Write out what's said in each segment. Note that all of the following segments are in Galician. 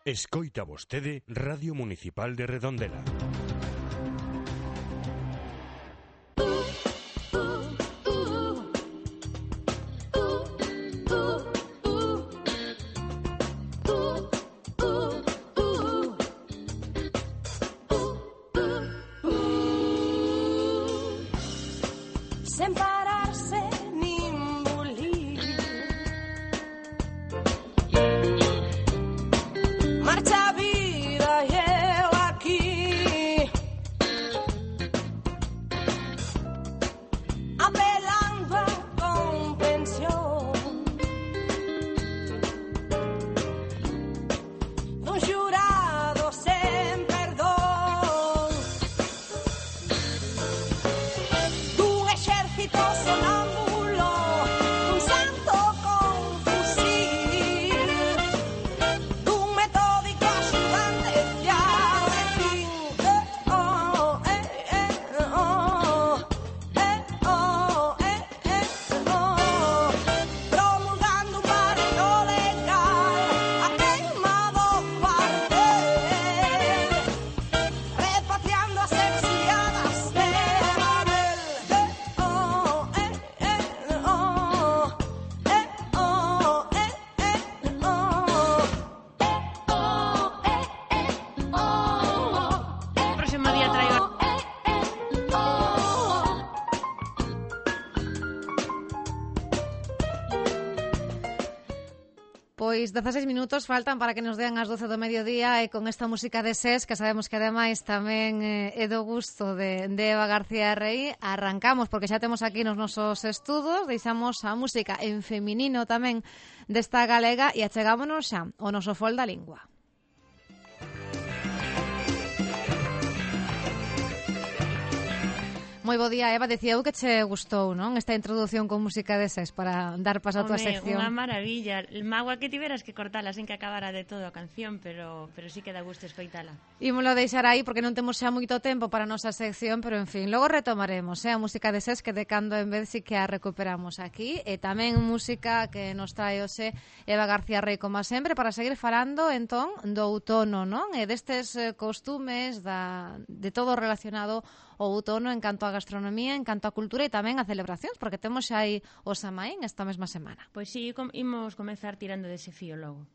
Escoita vostede Radio Municipal de Redondela. Sen pararse nin bulir, marcha a vida e eu aquí, apelando a comprensión dun xurado sen perdón, dun exército sonámbulo, dun santo con fusil, dun metódico axudante fiar de fin. Promulgando un barrio legal, a queima do cuartel, repatriando as exiliadas de Babel. Próximo día traigo. Pois 16 minutos faltan para que nos dean as 12 do mediodía e con esta música de SES, que sabemos que ademais tamén é do gusto de Eva García Rey, arrancamos porque xa temos aquí nos nosos estudos, deixamos a música en feminino tamén desta galega e achegámonos xa ao noso fol da lingua. Moi bo día, Eva, decía eu que che gustou, non? Esta introdución con música de SES para dar paso a tua sección. Unha maravilla. Magua que tiveras que cortala sen que acabara de todo a canción, pero sí que dá gusto escoitala. Ímolo deixar aí porque non temos xa moito tempo para a nosa sección, pero en fin, logo retomaremos, a música de SES que de cando en vez si que a recuperamos aquí, e tamén música que nos trae hoxe Eva García Rey, como sempre, para seguir falando entón do outono, non? E destes costumes de todo relacionado ao outono en canto a gastronomía, en canto a cultura e tamén a celebracións, porque temos xa aí o Samaín esta mesma semana. Pois sí, imos comezar tirando dese fío logo.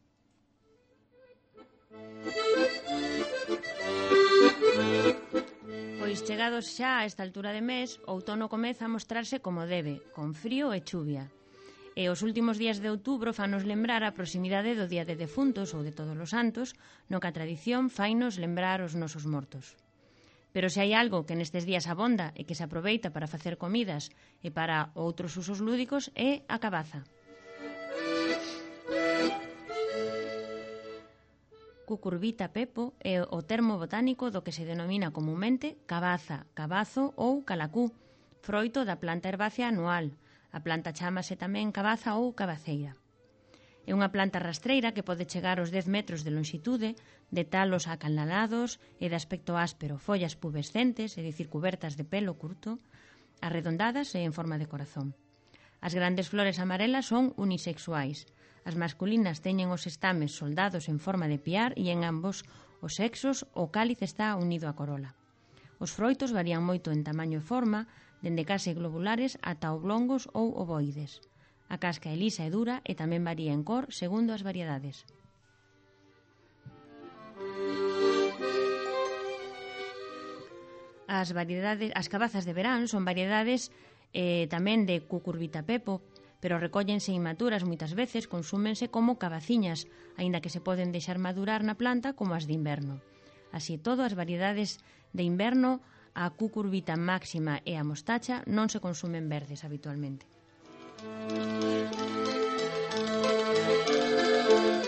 Pois chegados xa a esta altura de mes, o outono comeza a mostrarse como debe, con frío e chuvia. E os últimos días de outubro fanos lembrar a proximidade do Día de Defuntos ou de Todos os Santos, no que a tradición fainos lembrar os nosos mortos. Pero se hai algo que nestes días abonda e que se aproveita para facer comidas e para outros usos lúdicos é a cabaza. Cucurbita pepo é o termo botánico do que se denomina comunmente cabaza, cabazo ou calacú, froito da planta herbácea anual. A planta chámase tamén cabaza ou cabaceira. É unha planta rastreira que pode chegar aos 10 metros de longitude, de talos acanalados e de aspecto áspero, follas pubescentes, é dicir, cubertas de pelo curto, arredondadas e en forma de corazón. As grandes flores amarelas son unisexuais. As masculinas teñen os estames soldados en forma de piar e en ambos os sexos o cáliz está unido á corola. Os froitos varían moito en tamaño e forma, dende case globulares ata oblongos ou ovoides. A casca é lisa e dura e tamén varía en cor segundo as variedades. As cabazas de verán son variedades tamén de cucurbita pepo, pero recóllense inmaturas moitas veces, consúmense como cabaciñas, aínda que se poden deixar madurar na planta como as de inverno. Así todo, as variedades de inverno, a cucurbita máxima e a mostacha non se consumen verdes habitualmente.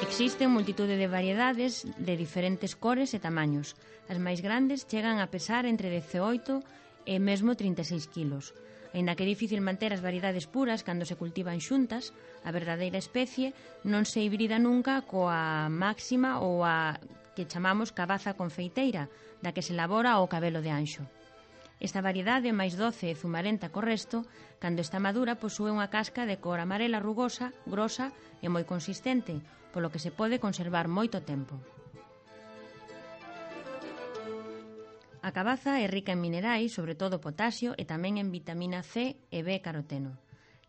Existen multitude de variedades de diferentes cores e tamaños. As máis grandes chegan a pesar entre 18 e mesmo 36 kilos. Aínda que é difícil manter as variedades puras cando se cultivan xuntas, a verdadeira especie non se hibrida nunca coa máxima ou a que chamamos cabaza confeiteira, da que se elabora o cabelo de anxo. Esta variedade, máis doce e zumarenta co resto, cando está madura posúe unha casca de cor amarela rugosa, grosa e moi consistente, polo que se pode conservar moito tempo. A cabaza é rica en minerais, sobre todo potasio, e tamén en vitamina C e B caroteno.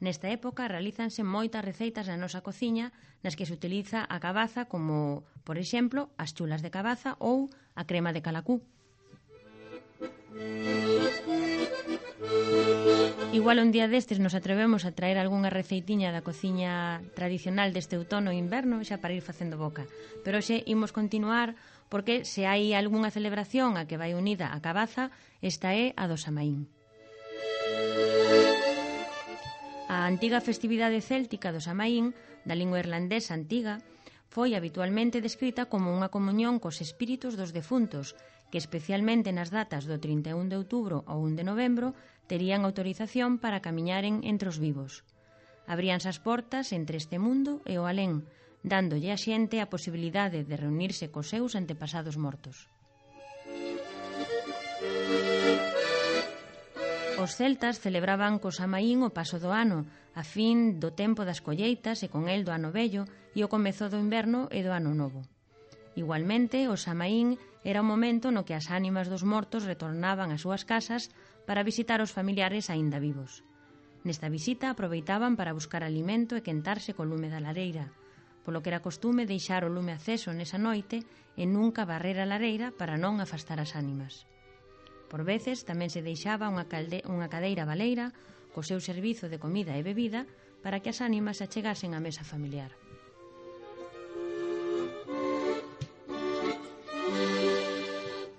Nesta época realízanse moitas receitas na nosa cociña nas que se utiliza a cabaza como, por exemplo, as chulas de cabaza ou a crema de calacú. Igual un día destes nos atrevemos a traer algunha receitiña da cociña tradicional deste outono e inverno xa para ir facendo boca. Pero hoxe imos continuar porque se hai algunha celebración a que vai unida a cabaza, esta é a do Samaín. A antiga festividade céltica do Samaín, da lingua irlandesa antiga, foi habitualmente descrita como unha comunión cos espíritus dos defuntos, que especialmente nas datas do 31 de outubro ou 1 de novembro terían autorización para camiñaren entre os vivos. Abríanse as portas entre este mundo e o alén, dándolle a xente a posibilidade de reunirse cos seus antepasados mortos. Os celtas celebraban co Samaín o paso do ano, a fin do tempo das colleitas e con el do ano vello e o comezo do inverno e do ano novo. Igualmente, o Samaín era o momento no que as ánimas dos mortos retornaban ás súas casas para visitar os familiares aínda vivos. Nesta visita aproveitaban para buscar alimento e quentarse co lume da lareira, polo que era costume deixar o lume aceso nesa noite e nunca barrer a lareira para non afastar as ánimas. Por veces tamén se deixaba unha cadeira baleira co seu servizo de comida e bebida para que as ánimas se achegasen á mesa familiar.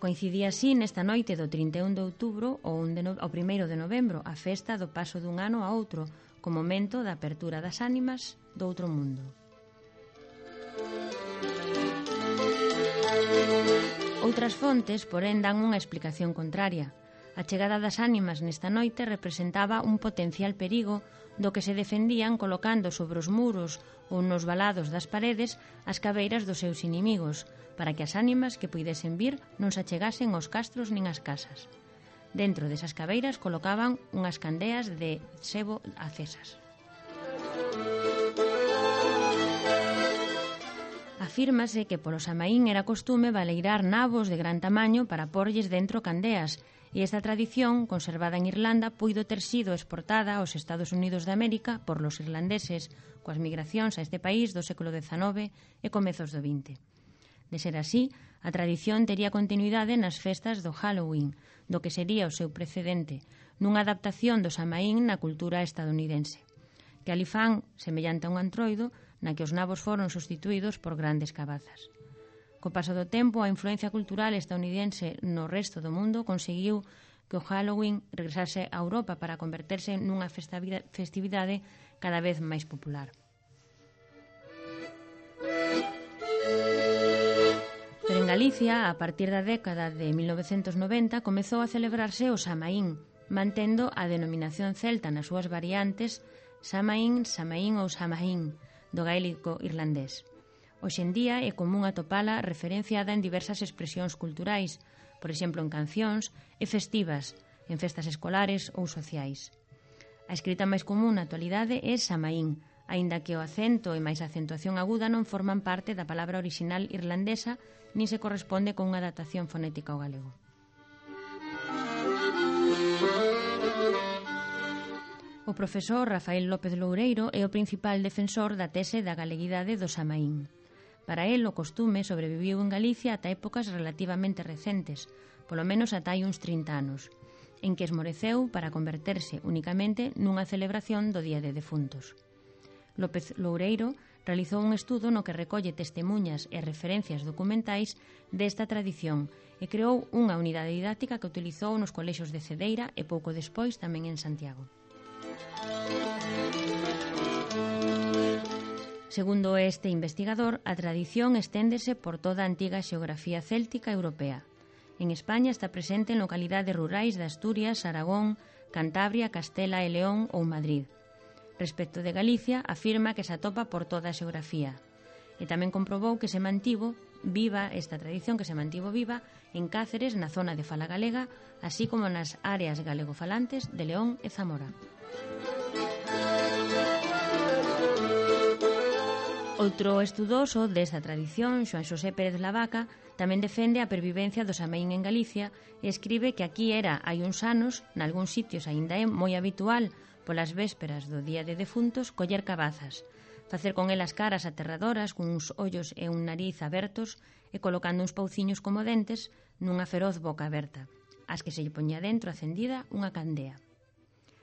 Coincidía así nesta noite do 31 de outubro ou 1 de novembro a festa do paso dun ano a outro, como momento da apertura das ánimas do outro mundo. Outras fontes, porén, dan unha explicación contraria. A chegada das ánimas nesta noite representaba un potencial perigo do que se defendían colocando sobre os muros ou nos valados das paredes as cabeiras dos seus inimigos, para que as ánimas que puidesen vir non se achegasen aos castros nin ás casas. Dentro desas cabeiras colocaban unhas candeas de sebo acesas. Afírmase que polo Samaín era costume baleirar nabos de gran tamaño para porlles dentro candeas, e esta tradición, conservada en Irlanda, puido ter sido exportada aos Estados Unidos de América por los irlandeses coas migracións a este país do século XIX e comezos do XX. De ser así, a tradición tería continuidade nas festas do Halloween, do que sería o seu precedente, nunha adaptación do Samaín na cultura estadounidense. Que ali fan, semellante a un antroido, na que os nabos foron sustituídos por grandes cabazas. Co paso do tempo, a influencia cultural estadounidense no resto do mundo conseguiu que o Halloween regresase a Europa para converterse nunha festividade cada vez máis popular. Pero en Galicia, a partir da década de 1990, comezou a celebrarse o Samaín, mantendo a denominación celta nas súas variantes Samaín, Samaín ou Samhain, do gaélico irlandés. Hoxe en día é común atopala referenciada en diversas expresións culturais, por exemplo en cancións e festivas, en festas escolares ou sociais. A escrita máis común na actualidade é Samaín, aínda que o acento e máis a acentuación aguda non forman parte da palabra orixinal irlandesa nin se corresponde con unha adaptación fonética ao galego. O profesor Rafael López Loureiro é o principal defensor da tese da galeguidade do Samaín. Para el, o costume sobreviviu en Galicia ata épocas relativamente recentes, polo menos ata hai uns 30 anos, en que esmoreceu para converterse únicamente nunha celebración do Día de Defuntos. López Loureiro realizou un estudo no que recolle testemuñas e referencias documentais desta tradición e creou unha unidade didáctica que utilizou nos colexios de Cedeira e pouco despois tamén en Santiago. Segundo este investigador, a tradición esténdese por toda a antiga xeografía céltica europea. En España está presente en localidades rurais de Asturias, Aragón, Cantabria, Castela e León ou Madrid. Respecto de Galicia, afirma que se atopa por toda a xeografía. E tamén comprobou que se mantivo viva esta tradición que se mantivo viva en Cáceres, na zona de fala galega, así como nas áreas galegofalantes de León e Zamora. O Outro estudoso desta tradición, Xoan Xosé Pérez Lavaca, tamén defende a pervivencia do Samaín en Galicia e escribe que aquí era hai uns anos, nalgúns sitios aínda é moi habitual polas vésperas do Día de Defuntos coller cabazas, facer con elas caras aterradoras cuns ollos e un nariz abertos e colocando uns pauciños como dentes nunha feroz boca aberta, as que se lle poñía dentro acendida unha candea.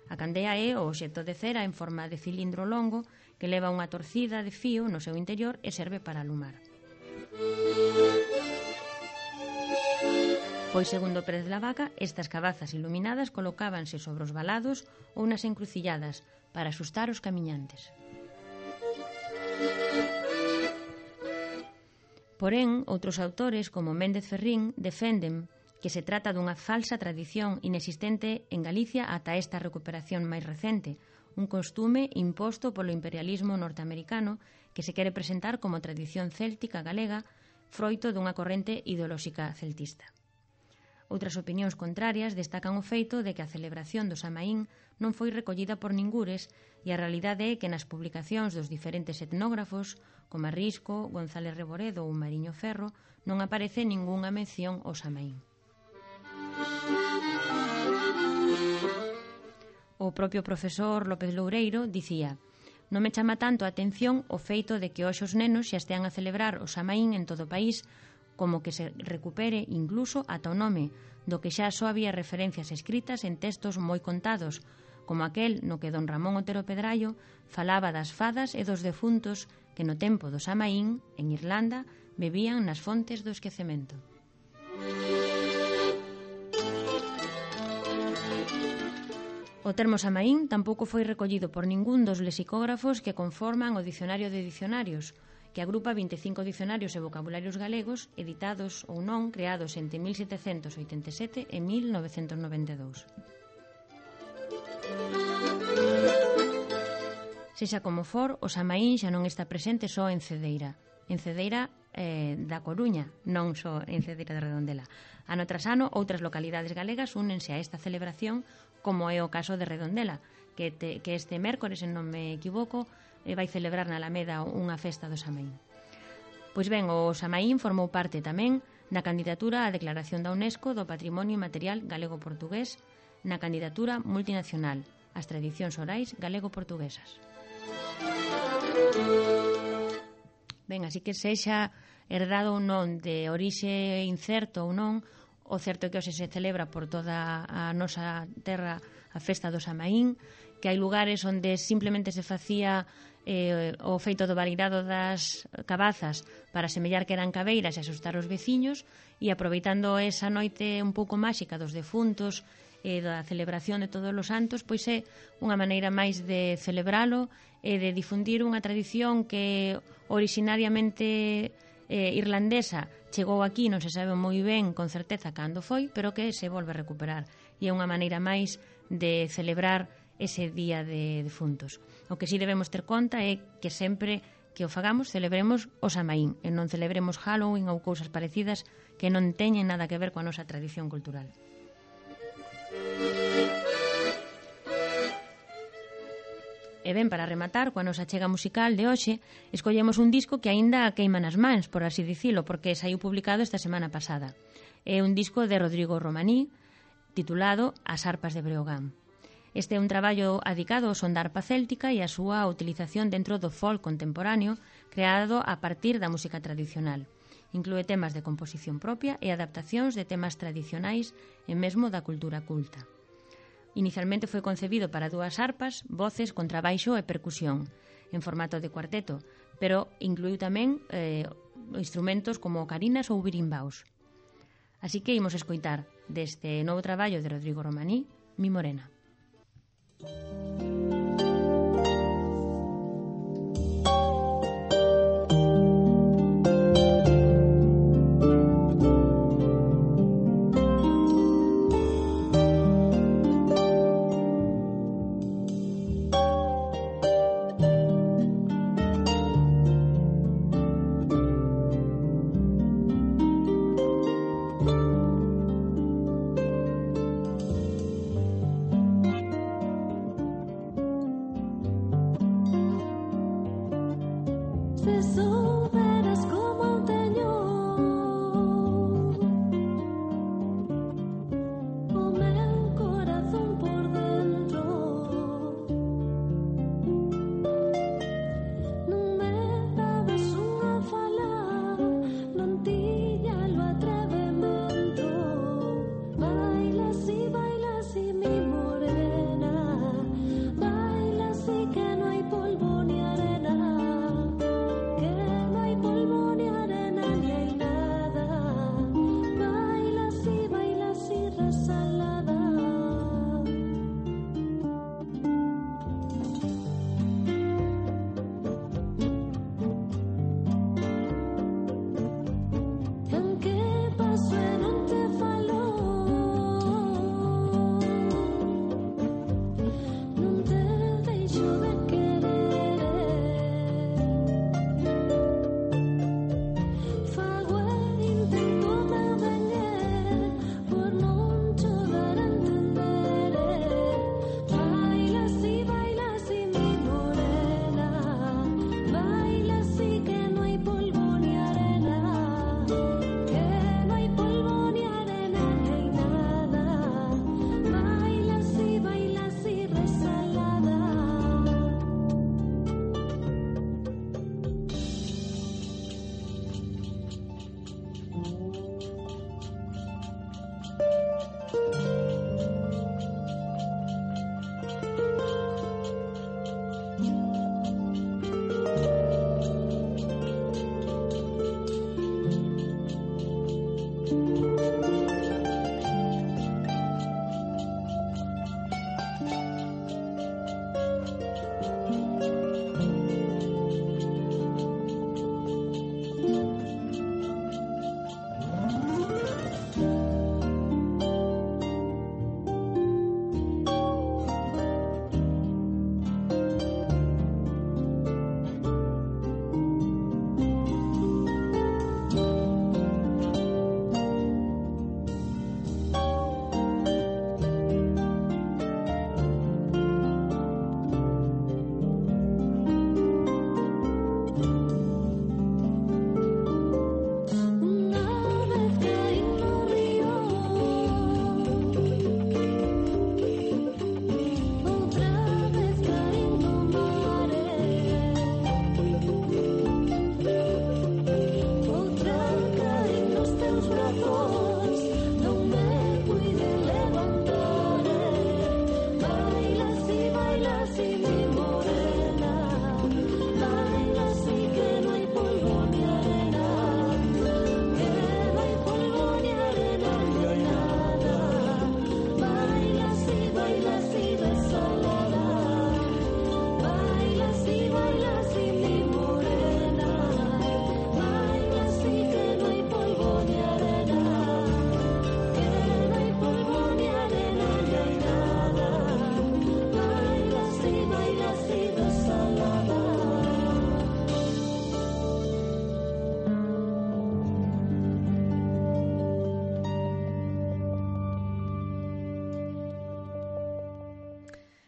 A candea é o obxecto de cera en forma de cilindro longo que leva unha torcida de fío no seu interior e serve para alumar. Pois, segundo Pérez Lavaca, estas cabazas iluminadas colocábanse sobre os valados ou nas encrucilladas para asustar os camiñantes. Porén, outros autores, como Méndez Ferrín, defenden que se trata dunha falsa tradición inexistente en Galicia ata esta recuperación máis recente, un costume imposto polo imperialismo norteamericano que se quere presentar como tradición céltica galega, froito dunha corrente ideolóxica celtista. Outras opinións contrarias destacan o feito de que a celebración do Samaín non foi recollida por ningures e a realidade é que nas publicacións dos diferentes etnógrafos, como Risco, González Reboredo ou Mariño Ferro, non aparece ningunha mención ao Samaín. O propio profesor López Loureiro dicía: non me chama tanto a atención o feito de que hoxe os nenos xa estean a celebrar o Samaín en todo o país, como que se recupere incluso ata o nome, do que xa só había referencias escritas en textos moi contados, como aquel no que don Ramón Otero Pedrallo falaba das fadas e dos defuntos que no tempo do Samaín, en Irlanda, bebían nas fontes do esquecemento. O termo Samaín tampouco foi recollido por ningún dos lexicógrafos que conforman o Dicionario de Dicionarios, que agrupa 25 dicionarios e vocabularios galegos editados ou non creados entre 1787 e 1992. Sexa como for, o Samaín xa non está presente só en Cedeira da Coruña, non só en Cedeira de Redondela. Ano tras ano, outras localidades galegas únense a esta celebración, como é o caso de Redondela, que este mércores, se non me equivoco, vai celebrar na Alameda unha festa do Samaín. Pois ben, o Samaín formou parte tamén na candidatura á declaración da UNESCO do Patrimonio Inmaterial Galego-Portugués, na candidatura multinacional ás tradicións orais galego-portuguesas. Ben, así que sexa herdado ou non, de orixe incerto ou non, o certo é que hoxe se celebra por toda a nosa terra a festa do Samaín, que hai lugares onde simplemente se facía o feito do validado das cabazas para semellar que eran cabeiras e asustar os veciños, e aproveitando esa noite un pouco máxica dos defuntos e da celebración de todos os santos, pois é unha maneira máis de celebralo e de difundir unha tradición que originariamente irlandesa chegou aquí, non se sabe moi ben con certeza cando foi, pero que se volve a recuperar, e é unha maneira máis de celebrar ese día de defuntos. O que sí debemos ter conta é que sempre que o fagamos celebremos o Samaín e non celebremos Halloween ou cousas parecidas que non teñen nada que ver coa nosa tradición cultural. E ben, para rematar, coa nosa chega musical de hoxe, escollemos un disco que aínda queima nas mans, por así dicilo, porque saiu publicado esta semana pasada. É un disco de Rodrigo Romaní, titulado As arpas de Breogán. Este é un traballo adicado ao son da arpa céltica e a súa utilización dentro do folk contemporáneo, creado a partir da música tradicional. Inclúe temas de composición propia e adaptacións de temas tradicionais e mesmo da cultura culta. Inicialmente foi concebido para dúas arpas, voces, contrabaixo e percusión, en formato de cuarteto, pero incluiu tamén instrumentos como ocarinas ou birimbaos. Así que imos escoitar deste novo traballo de Rodrigo Romaní, Mi Morena.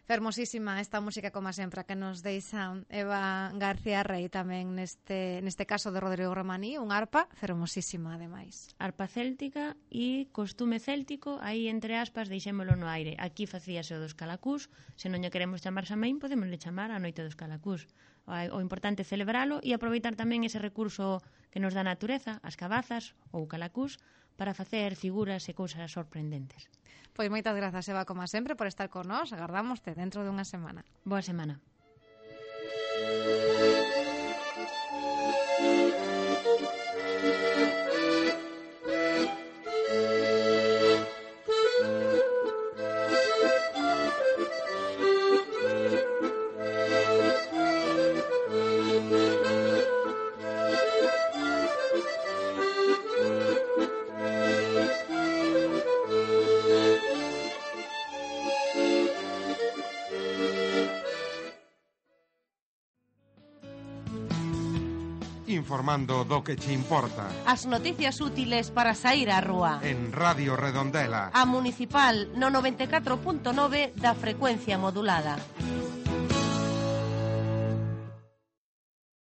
Fermosísima esta música, como sempre, que nos deixa Eva García Rey tamén neste caso de Rodrigo Romaní, un arpa fermosísima, ademais. Arpa céltica e costume céltico, aí entre aspas deixémolo no aire. Aquí facíase o dos calacús, se non lle queremos chamar Samhain, podemosle chamar a Noite dos Calacús. O importante é celebralo e aproveitar tamén ese recurso que nos dá a natureza, as cabazas ou calacús, para facer figuras e cousas sorprendentes. Pois moitas grazas, Eva, como sempre, por estar con nós. Agardámoste dentro de unha semana. Boa semana. Informando do que che importa. As noticias útiles para sair á rúa. En Radio Redondela. A Municipal no 94.9 da frecuencia modulada.